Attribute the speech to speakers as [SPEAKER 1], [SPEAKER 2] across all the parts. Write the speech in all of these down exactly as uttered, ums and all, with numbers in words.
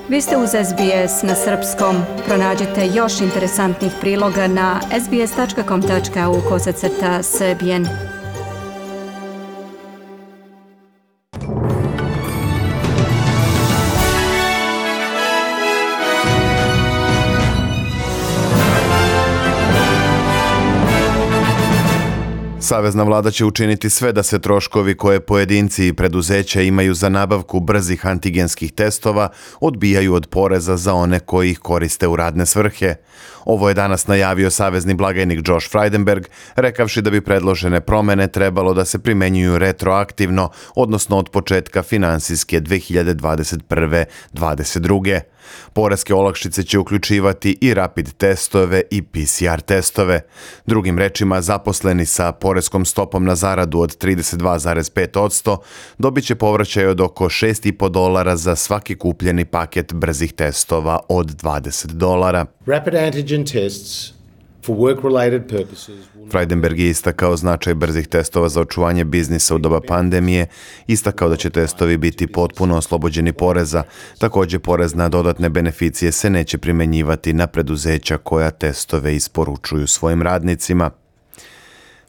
[SPEAKER 1] Vi ste uz S B S na srpskom. Pronađite još interesantnih priloga na sbs.com tačka au kosacrta srbijen.
[SPEAKER 2] Savezna vlada će učiniti sve da se troškovi koje pojedinci i preduzeća imaju za nabavku brzih antigenskih testova odbijaju od poreza za one koji ih koriste u radne svrhe. Ovo je danas najavio savezni blagajnik Josh Frydenberg, rekavši da bi predložene promene trebalo da se primenjuju retroaktivno, odnosno od početka finansijske dve hiljade dvadeset prve dvadeset druge. Poreske olakšice će uključivati i rapid testove i P C R testove. Drugim rečima, zaposleni sa poreskom stopom na zaradu od trideset dva zarez pet posto dobit će povraćaj od oko šest i po dolara za svaki kupljeni paket brzih testova od dvadeset dolara.
[SPEAKER 3] Rapid antigen tests for work-related purposes.
[SPEAKER 2] Frydenberg je istakao značaj brzih testova za očuvanje biznisa u doba pandemije, istakao da će testovi biti potpuno oslobođeni poreza. Također, porez na dodatne beneficije se neće primenjivati na preduzeća koja testove isporučuju svojim radnicima.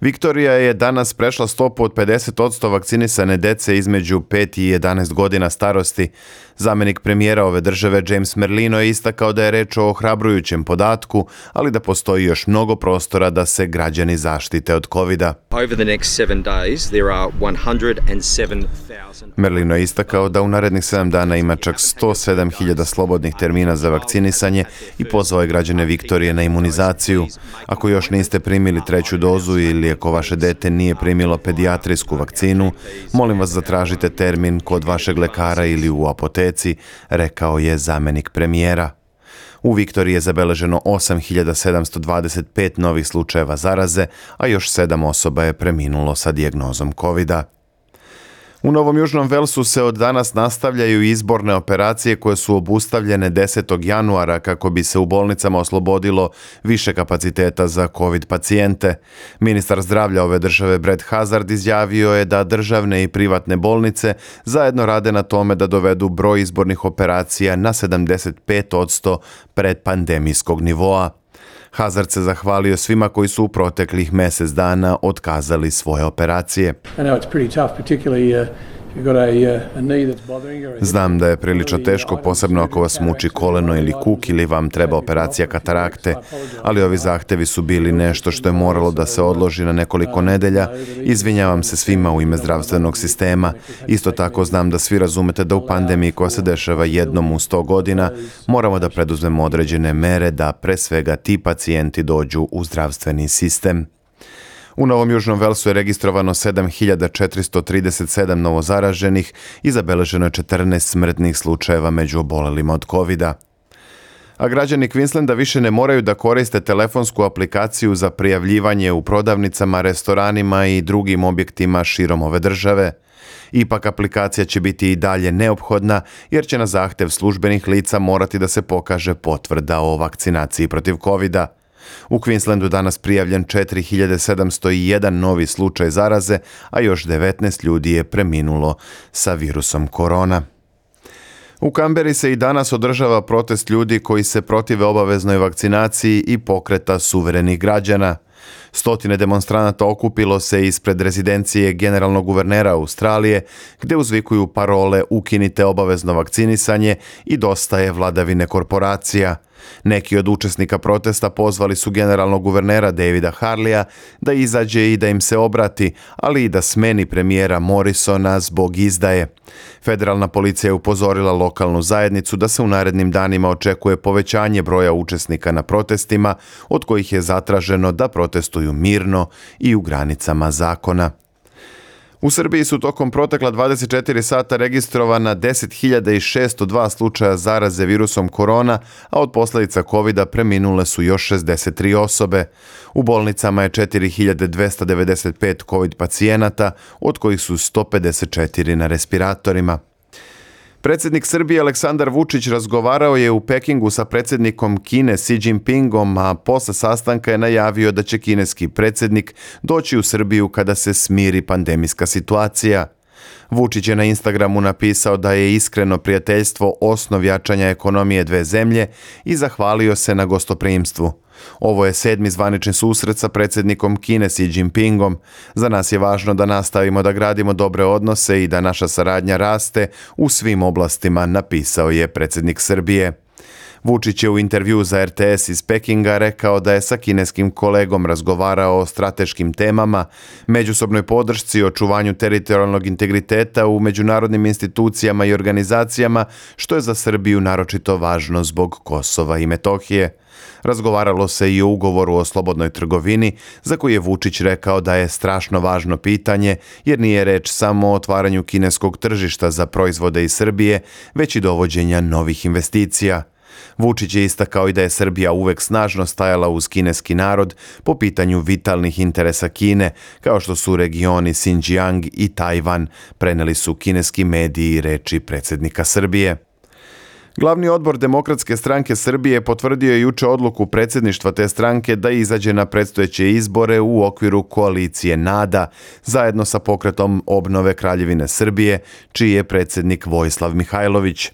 [SPEAKER 2] Viktorija je danas prešla stopu od pedeset posto vakcinisane dece između pet i jedanaest godina starosti. Zamenik premijera ove države James Merlino je istakao da je reč o ohrabrujućem podatku, ali da postoji još mnogo prostora da se građani zaštite od kovida. Merlino je istakao da u narednih sedam dana ima čak sto sedam hiljada slobodnih termina za vakcinisanje i pozvao je građane Viktorije na imunizaciju. Ako još niste primili treću dozu ili ako vaše dete nije primilo pedijatrijsku vakcinu, molim vas zatražite termin kod vašeg lekara ili u apoteci, rekao je zamenik premijera. U Viktoriji je zabeleženo osam hiljada sedamsto dvadeset pet novih slučajeva zaraze, a još sedam osoba je preminulo sa dijagnozom kovida. U Novom Južnom Velsu se od danas nastavljaju izborne operacije koje su obustavljene desetog januara kako bi se u bolnicama oslobodilo više kapaciteta za COVID pacijente. Ministar zdravlja ove države Brett Hazard izjavio je da državne i privatne bolnice zajedno rade na tome da dovedu broj izbornih operacija na sedamdeset pet posto predpandemijskog nivoa. Hazard se zahvalio svima koji su u proteklih mjesec dana otkazali svoje operacije. Znam da je prilično teško, posebno ako vas muči koleno ili kuk ili vam treba operacija katarakte, ali ovi zahtevi su bili nešto što je moralo da se odloži na nekoliko nedelja. Izvinjavam se svima u ime zdravstvenog sistema. Isto tako znam da svi razumete da u pandemiji koja se dešava jednom u sto godina moramo da preduzmemo određene mere da pre svega ti pacijenti dođu u zdravstveni sistem. U Novom Južnom Velsu je registrovano sedam hiljada četiristo trideset sedam novozaraženih i zabeleženo je četrnaest smrtnih slučajeva među obolelima od kovida. A građani Queenslanda više ne moraju da koriste telefonsku aplikaciju za prijavljivanje u prodavnicama, restoranima i drugim objektima širom ove države. Ipak aplikacija će biti i dalje neophodna jer će na zahtev službenih lica morati da se pokaže potvrda o vakcinaciji protiv kovida. U Queenslandu danas prijavljen četiri hiljade sedamsto jedan novi slučaj zaraze, a još devetnaest ljudi je preminulo sa virusom korona. U Kamberi se i danas održava protest ljudi koji se protive obaveznoj vakcinaciji i pokreta suverenih građana. Stotine demonstranata okupilo se ispred rezidencije generalnog guvernera Australije, gde uzvikuju parole ukinite obavezno vakcinisanje i dosta je vladavine korporacija. Neki od učesnika protesta pozvali su generalnog guvernera Davida Harleya da izađe i da im se obrati, ali i da smeni premijera Morrisona zbog izdaje. Federalna policija je upozorila lokalnu zajednicu da se u narednim danima očekuje povećanje broja učesnika na protestima, od kojih je zatraženo da protestuju mirno i u granicama zakona. U Srbiji su tokom protekla dvadeset četiri sata registrovana deset hiljada šesto dva slučaja zaraze virusom korona, a od posljedica kovida preminule su još šezdeset tri osobe. U bolnicama je četiri hiljade dvesta devedeset pet COVID pacijenata, od kojih su sto pedeset četiri na respiratorima. Predsjednik Srbije Aleksandar Vučić razgovarao je u Pekingu sa predsjednikom Kine Xi Jinpingom, a posle sastanka je najavio da će kineski predsjednik doći u Srbiju kada se smiri pandemijska situacija. Vučić je na Instagramu napisao da je iskreno prijateljstvo osnov jačanja ekonomije dve zemlje i zahvalio se na gostoprimstvu. Ovo je sedmi zvanični susret sa predsjednikom Kine Xi Jinpingom. Za nas je važno da nastavimo da gradimo dobre odnose i da naša saradnja raste u svim oblastima, napisao je predsjednik Srbije. Vučić je u intervju za R T S iz Pekinga rekao da je sa kineskim kolegom razgovarao o strateškim temama, međusobnoj podršci i očuvanju teritorijalnog integriteta u međunarodnim institucijama i organizacijama, što je za Srbiju naročito važno zbog Kosova i Metohije. Razgovaralo se i o ugovoru o slobodnoj trgovini, za koji je Vučić rekao da je strašno važno pitanje, jer nije reč samo o otvaranju kineskog tržišta za proizvode iz Srbije, već i dovođenja novih investicija. Vučić je istakao i da je Srbija uvek snažno stajala uz kineski narod po pitanju vitalnih interesa Kine, kao što su regioni Xinjiang i Tajvan, preneli su kineski mediji reči predsjednika Srbije. Glavni odbor Demokratske stranke Srbije potvrdio je juče odluku predsjedništva te stranke da izađe na predstojeće izbore u okviru koalicije NADA, zajedno sa pokretom obnove Kraljevine Srbije, čiji je predsjednik Vojislav Mihajlović.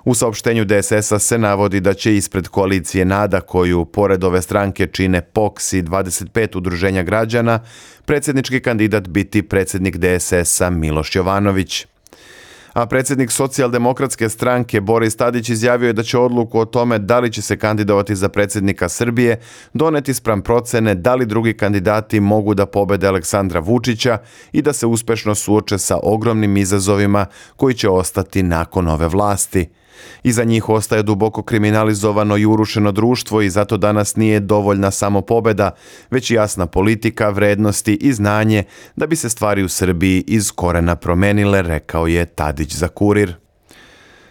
[SPEAKER 2] U saopštenju D S S-a se navodi da će ispred koalicije NADA, koju pored ove stranke čine P O K S i dvadeset pet udruženja građana, predsjednički kandidat biti predsjednik D S S-a Miloš Jovanović. A predsjednik Socijaldemokratske stranke Boris Tadić izjavio je da će odluku o tome da li će se kandidovati za predsjednika Srbije doneti spram procene da li drugi kandidati mogu da pobede Aleksandra Vučića i da se uspešno suoče sa ogromnim izazovima koji će ostati nakon ove vlasti. Iza njih ostaje duboko kriminalizovano i urušeno društvo i zato danas nije dovoljna samo pobeda, već jasna politika, vrednosti i znanje da bi se stvari u Srbiji iz korena promenile, rekao je Tadić za Kurir.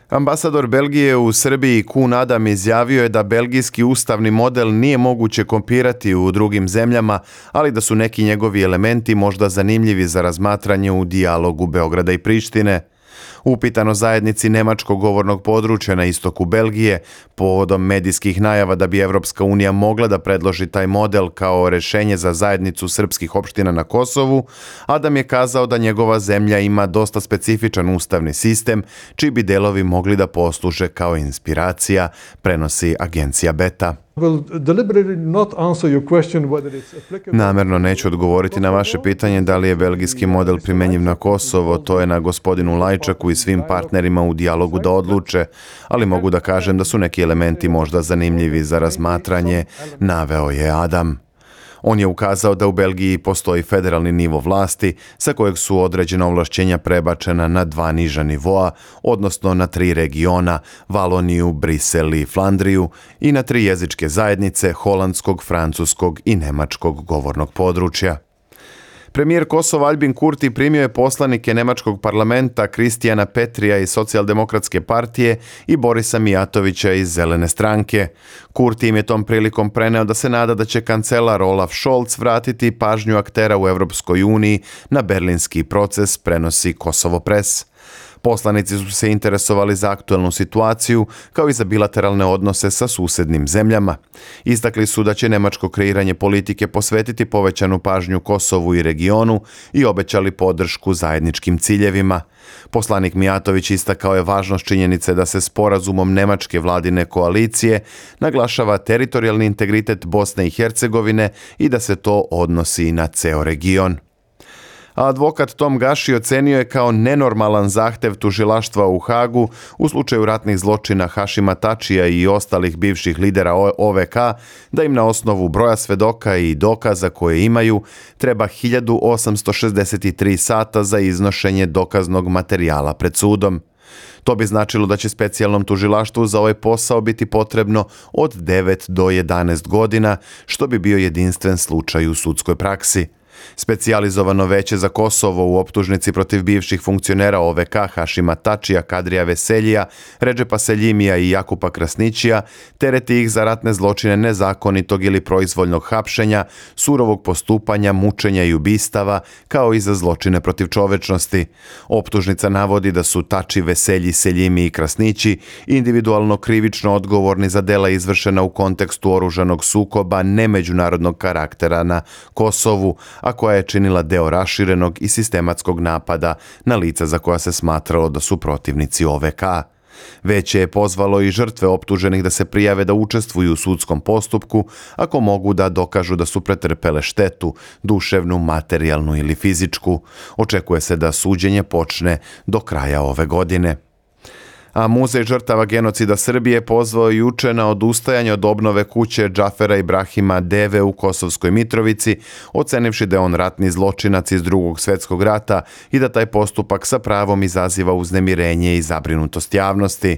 [SPEAKER 2] Ambasador Belgije u Srbiji Koen Adam izjavio je da belgijski ustavni model nije moguće kopirati u drugim zemljama, ali da su neki njegovi elementi možda zanimljivi za razmatranje u dijalogu Beograda i Prištine. Upitano zajednici nemačkog govornog područja na istoku Belgije, povodom medijskih najava da bi Evropska unija mogla da predloži taj model kao rešenje za zajednicu srpskih opština na Kosovu, Adam je kazao da njegova zemlja ima dosta specifičan ustavni sistem, čiji bi delovi mogli da posluže kao inspiracija, prenosi agencija Beta. Namerno neću odgovoriti na vaše pitanje da li je belgijski model primenjiv na Kosovo, to je na gospodinu Lajčaku i svim partnerima u dijalogu da odluče, ali mogu da kažem da su neki elementi možda zanimljivi za razmatranje, naveo je Adam. On je ukazao da u Belgiji postoji federalni nivo vlasti sa kojeg su određena ovlašćenja prebačena na dva niža nivoa, odnosno na tri regiona, Valoniju, Brisel i Flandriju, i na tri jezičke zajednice holandskog, francuskog i nemačkog govornog područja. Premijer Kosova Albin Kurti primio je poslanike nemačkog parlamenta Kristijana Petrija iz Socijaldemokratske partije i Borisa Mijatovića iz Zelene stranke. Kurti im je tom prilikom preneo da se nada da će kancelar Olaf Scholz vratiti pažnju aktera u Evropskoj uniji na berlinski proces, prenosi Kosovo Press. Poslanici su se interesovali za aktuelnu situaciju, kao i za bilateralne odnose sa susednim zemljama. Istakli su da će nemačko kreiranje politike posvetiti povećanu pažnju Kosovu i regionu i obećali podršku zajedničkim ciljevima. Poslanik Mijatović istakao je važnost činjenice da se sporazumom nemačke vladine koalicije naglašava teritorijalni integritet Bosne i Hercegovine i da se to odnosi na ceo region. A advokat Tom Gaši ocenio je kao nenormalan zahtev tužilaštva u Hagu u slučaju ratnih zločina Hašima Tačija i ostalih bivših lidera O V K da im na osnovu broja svedoka i dokaza koje imaju treba hiljadu osamsto šezdeset tri sata za iznošenje dokaznog materijala pred sudom. To bi značilo da će specijalnom tužilaštvu za ovaj posao biti potrebno od devet do jedanaest godina, što bi bio jedinstven slučaj u sudskoj praksi. Specijalizovano veće za Kosovo u optužnici protiv bivših funkcionera O V K Hašima Tačija, Kadrija Veseljija, Redžepa Seljimija i Jakupa Krasnićija tereti ih za ratne zločine nezakonitog ili proizvoljnog hapšenja, surovog postupanja, mučenja i ubistava, kao i za zločine protiv čovečnosti. Optužnica navodi da su Tači, Veselji, Seljimi i Krasnići individualno krivično odgovorni za dela izvršena u kontekstu oružanog sukoba nemeđunarodnog karaktera na Kosovu, a koja je činila deo raširenog i sistematskog napada na lica za koja se smatralo da su protivnici O V K. Veće je pozvalo i žrtve optuženih da se prijave da učestvuju u sudskom postupku ako mogu da dokažu da su pretrpele štetu, duševnu, materijalnu ili fizičku. Očekuje se da suđenje počne do kraja ove godine. A Muzej žrtava genocida Srbije pozvao juče na odustajanje od obnove kuće Džafera Ibrahima Deve u Kosovskoj Mitrovici, ocenivši da je on ratni zločinac iz Drugog svjetskog rata i da taj postupak sa pravom izaziva uznemirenje i zabrinutost javnosti.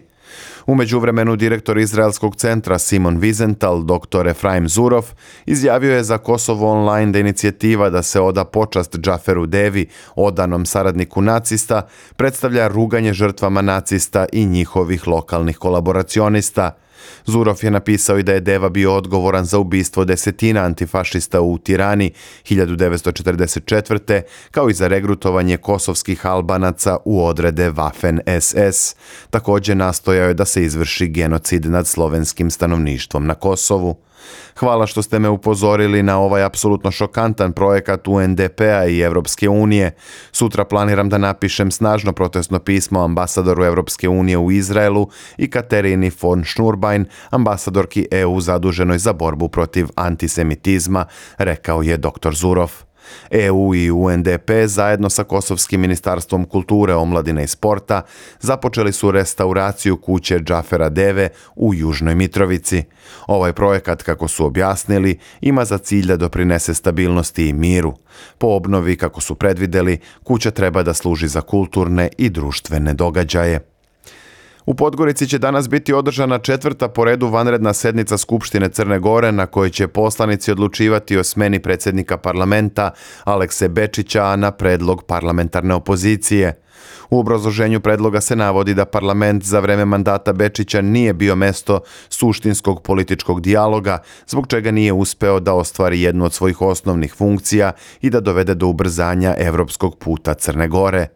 [SPEAKER 2] U međuvremenu direktor Izraelskog centra Simon Wiesenthal, doktor Efraim Zurov, izjavio je za Kosovo Online da inicijativa da se oda počast Džaferu Devi, odanom saradniku nacista, predstavlja ruganje žrtvama nacista i njihovih lokalnih kolaboracionista. Zurov je napisao i da je Deva bio odgovoran za ubistvo desetina antifašista u Tirani hiljadu devetsto četrdeset četvrte kao i za regrutovanje kosovskih Albanaca u odrede Waffen S S. Također nastojao je da se izvrši genocid nad slovenskim stanovništvom na Kosovu. Hvala što ste me upozorili na ovaj apsolutno šokantan projekat U N D P-a i Evropske unije. Sutra planiram da napišem snažno protestno pismo ambasadoru Evropske unije u Izraelu i Katerini von Schnurbein, ambasadorki E U zaduženoj za borbu protiv antisemitizma, rekao je doktor Zurov. E U i U N D P zajedno sa Kosovskim ministarstvom kulture, omladine i sporta započeli su restauraciju kuće Džafera Deve u Južnoj Mitrovici. Ovaj projekat, kako su objasnili, ima za cilj da doprinese stabilnosti i miru. Po obnovi, kako su predvideli, kuća treba da služi za kulturne i društvene događaje. U Podgorici će danas biti održana četvrta po redu vanredna sednica Skupštine Crne Gore na kojoj će poslanici odlučivati o smeni predsjednika parlamenta Alekse Bečića na predlog parlamentarne opozicije. U obrazloženju predloga se navodi da parlament za vreme mandata Bečića nije bio mesto suštinskog političkog dijaloga, zbog čega nije uspeo da ostvari jednu od svojih osnovnih funkcija i da dovede do ubrzanja evropskog puta Crne Gore.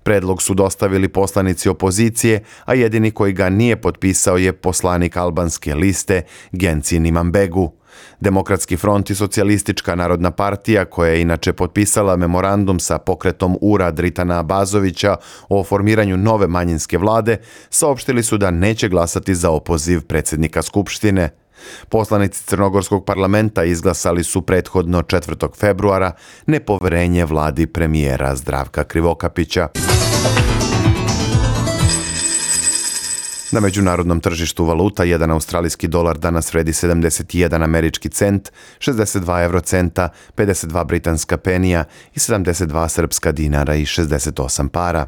[SPEAKER 2] Predlog su dostavili poslanici opozicije, a jedini koji ga nije potpisao je poslanik albanske liste Gencin Imambegu. Demokratski front i Socijalistička narodna partija, koja je inače potpisala memorandum sa pokretom Ura Dritana Abazovića o formiranju nove manjinske vlade, saopštili su da neće glasati za opoziv predsjednika Skupštine. Poslanici Crnogorskog parlamenta izglasali su prethodno četvrtog februara nepoverenje vladi premijera Zdravka Krivokapića. Na međunarodnom tržištu valuta jedan australijski dolar danas vredi sedamdeset jedan američki cent, šezdeset dva eurocenta, pedeset dva britanska penija i sedamdeset dva srpska dinara i šezdeset osam para.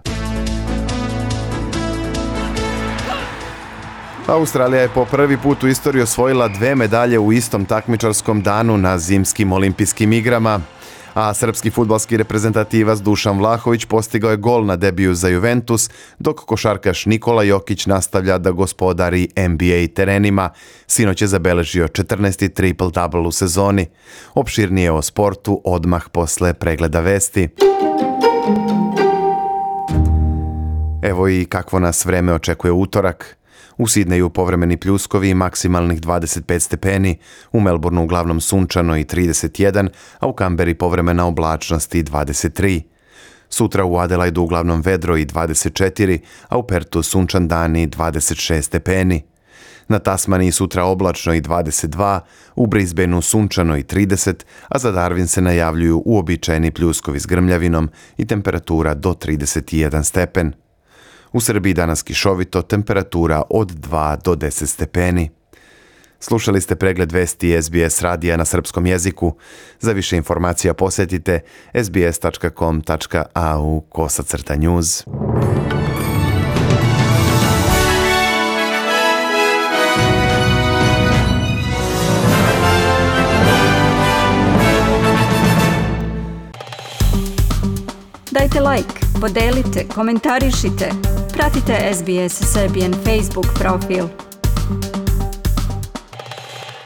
[SPEAKER 2] Australija je po prvi put u istoriji osvojila dve medalje u istom takmičarskom danu na zimskim olimpijskim igrama, a srpski fudbalski reprezentativac Dušan Vlahović postigao je gol na debiju za Juventus, dok košarkaš Nikola Jokić nastavlja da gospodari N B A terenima. Sinoć je zabeležio četrnaesti triple-double u sezoni. Opširnije o sportu odmah posle pregleda vesti. Evo i kakvo nas vreme očekuje utorak. U Sidneju povremeni pljuskovi i maksimalnih dvadeset pet stepeni, u Melbourneu uglavnom sunčano i trideset jedan, a u Kamberi povremena oblačnost i dvadeset tri. Sutra u Adelaidu uglavnom vedro i dvadeset četiri, a u Pertu sunčan dan i dvadeset šest stepeni. Na Tasmaniji sutra oblačno i dvadeset dva, u Brisbaneu sunčano i trideset, a za Darwin se najavljuju uobičajeni pljuskovi s grmljavinom i temperatura do trideset jedan stepen. U Srbiji danas kišovito, temperatura od dva do deset stepeni. Slušali ste pregled vesti S B S radija na srpskom jeziku. Za više informacija posjetite s b s tačka com tačka a u kosacrta news.
[SPEAKER 1] Dajte like, podelite, komentarišite. Pratite S B S Serbian Facebook profil.